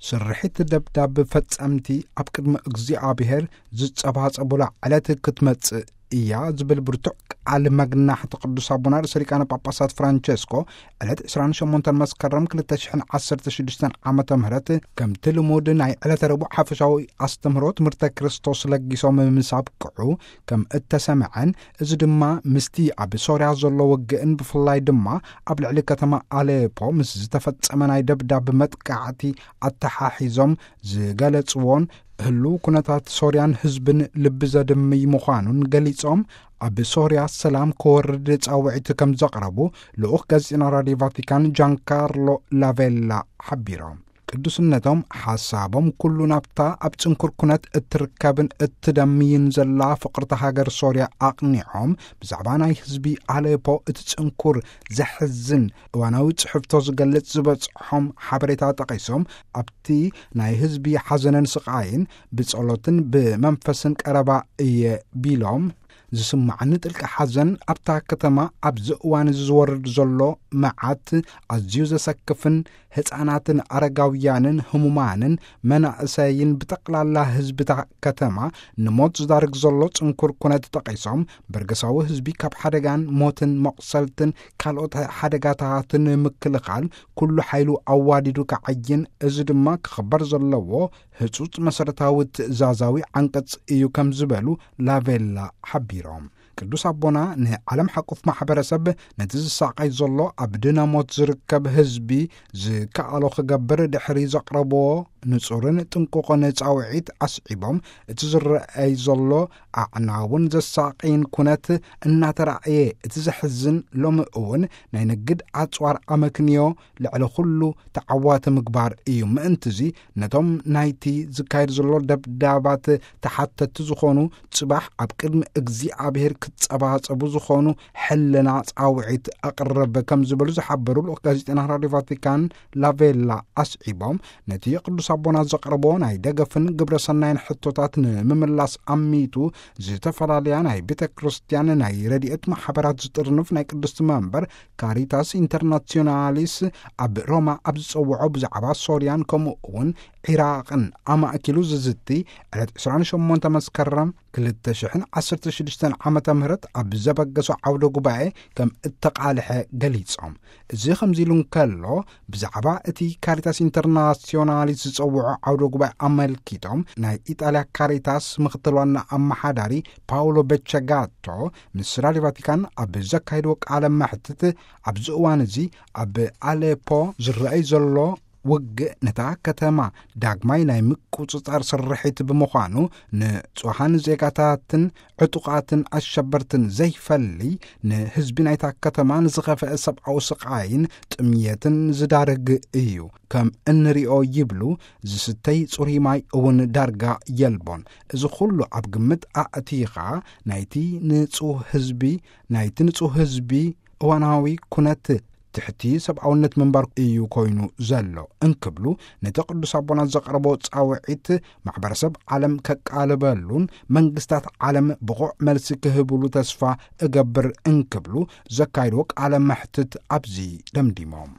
ስርሒት ደብዳብ ፈጸምቲ ኣብ ቅድሚ እግዚኣብሔር ዝጸባጸቡላ ዕለት ክትመጽእ እያ ዝብል ብርቱዕ ቃል መግናሕቲ ቅዱስ ኣቦና ርእሰ ሊቃነ ጳጳሳት ፍራንቸስኮ ዕለት ዕስራን ሸሞንተን መስከረም ክልተ ሽሕን ዓሰርተ ሽዱሽተን ዓመተ ምህረት ከምቲ ልሙድ ናይ ዕለተ ረቡዕ ሓፈሻዊ ኣስተምህሮ ትምህርተ ክርስቶስ ለጊሶም ምስ ኣብቅዑ ከም እተሰምዐን፣ እዚ ድማ ምስቲ ኣብ ሶርያ ዘሎ ውግእን ብፍላይ ድማ ኣብ ልዕሊ ከተማ ኣሌፖ ምስ ዝተፈጸመ ናይ ደብዳብ መጥቃዕቲ ኣተሓሒዞም ዝገለጽዎን፣ ህሉው ኩነታት ሶርያን ህዝብን ልቢ ዘድምይ ምዃኑን ገሊጾም፣ ኣብ ሶርያ ሰላም ክወርድ ጻውዒት ከም ዘቕረቡ ልኡኽ ጋዜጠኛ ራድዮ ቫቲካን ጃንካርሎ ላቬላ ሓቢሮም። ቅዱስነቶም ሓሳቦም ኩሉ ናብታ ኣብ ጽንኩር ኩነት እትርከብን እትደምይን ዘላ ፍቕርቲ ሃገር ሶርያ ኣቕኒዖም፣ ብዛዕባ ናይ ህዝቢ ኣሌፖ እቲ ጽንኩር ዘሕዝን እዋናዊ ጽሕፍቶ ዝገልጽ ዝበጽሖም ሓበሬታ ጠቒሶም፣ ኣብቲ ናይ ህዝቢ ሓዘንን ስቓይን ብጸሎትን ብመንፈስን ቀረባ እየ ቢሎም፣ ዝስማዓኒ ጥልቂ ሓዘን ኣብታ ከተማ ኣብዚ እዋን እዚ ዝወርድ ዘሎ መዓት ኣዝዩ ዘሰክፍን ህፃናትን ኣረጋውያንን ህሙማንን መናእሰይን ብጠቕላላ ህዝብታ ከተማ ንሞት ዝዳርግ ዘሎ ጽንኩር ኩነት ጠቒሶም፣ በርገሳዊ ህዝቢ ካብ ሓደጋን ሞትን መቑሰልትን ካልኦት ሓደጋታትን ንምክልኻል ኩሉ ሓይሉ ኣዋዲዱ ክዓይን፣ እዚ ድማ ክኽበር ዘለዎ ህጹጽ መሰረታዊ ትእዛዛዊ ዓንቀጽ እዩ ከም ዝበሉ ላቬላ ሓቢሮም። ቅዱስ ኣቦና ንዓለም ሓቁፍ ማሕበረሰብ ነቲ ዝሳቐይ ዘሎ ኣብ ድነ ሞት ዝርከብ ህዝቢ ዝከኣሎ ክገብር ድሕሪ ዘቕረብዎ ንጹርን ጥንቁቕን ጻውዒት ኣስዒቦም፣ እቲ ዝረኣይ ዘሎ ኣዕናውን ዘሳቕይን ኩነት እናተራእየ፣ እቲ ዘሕዝን ሎሚ እውን ናይ ንግድ ኣጽዋር ኣመክንዮ ልዕሊ ኩሉ ተዓዋቲ ምግባር እዩ። ምእንትዚ ነቶም ናይቲ ዝካየድ ዘሎ ደብዳባት ተሓተቲ ዝኾኑ ጽባሕ ኣብ ቅድሚ እግዚኣብሔር ክጸባጸቡ ዝኾኑ ሕልና ጻውዒት ኣቕርብ ከም ዝበሉ ዝሓበሩ ልኡኽ ጋዜጠና ራድዮ ቫቲካን ላቬላ ኣስዒቦም፣ ነቲ ቅዱስ ኣቦና ዘቕረቦ ናይ ደገፍን ግብረ ሰናይን ሕቶታት ንምምላስ ኣሚቱ ዝተፈላለያ ናይ ቤተ ክርስቲያን ናይ ረድኤት ማሕበራት ዝጥርንፍ ናይ ቅድስቲ መንበር ካሪታስ ኢንተርናሲዮናሊስ ኣብ ሮማ ኣብ ዝጸውዖ ብዛዕባ ሶርያን ከምኡ እውን ዒራቕን ኣማእኪሉ ዝዝቲ ዕለት ዕስራን ሸሞንተ መስከረም ክልተ ሽሕን ዓሰርተ ሽዱሽተን ዓመተ ምህረት ኣብ ዘበገሶ ዓውደ ጉባኤ ከም እተቓልሐ ገሊጾም። እዚ ከምዚ ኢሉ እንከሎ፣ ብዛዕባ እቲ ካሪታስ ኢንተርናሲዮናሊስ ዝጸውዖ ዓውደ ጉባኤ ኣመልኪቶም ናይ ኢጣልያ ካሪታስ ምኽትል ዋና ኣመሓዳሪ ፓውሎ ቤቸጋቶ ምስ ራድዮ ቫቲካን ኣብ ዘካየድዎ ቃለ መሕትት፣ ኣብዚ እዋን እዚ ኣብ ኣሌፖ ዝረኣይ ዘሎ ውግእ ነታ ከተማ ዳግማይ ናይ ምቁጽጻር ስርሒት ብምዃኑ፣ ንጹሃን ዜጋታትን ዕጡቓትን ኣሸበርትን ዘይፈሊ፣ ንህዝቢ ናይታ ከተማ ንዝኸፍአ ሰብኣዊ ስቓይን ጥምየትን ዝዳርግ እዩ። ከም እንሪኦ ይብሉ፣ ዝስተይ ጽሩይ ማይ እውን ዳርጋ የልቦን። እዚ ኩሉ ኣብ ግምት ኣእቲኻ፣ ናይቲ ንጹህ ህዝቢ፣ ናይቲ ንጹህ ህዝቢ እዋናዊ ኩነት ትሕቲ ሰብኣውነት ምንባር እዩ ኮይኑ ዘሎ እንክብሉ፣ ነቲ ቅዱስ ኣቦና ዘቕረቦ ጻውዒት ማሕበረሰብ ዓለም ከቃልበሉን መንግስታት ዓለም ብቑዕ መልሲ ክህብሉ ተስፋ እገብር እንክብሉ ዘካይድዎ ቃለ መሕትት ኣብዚ ደምዲሞም።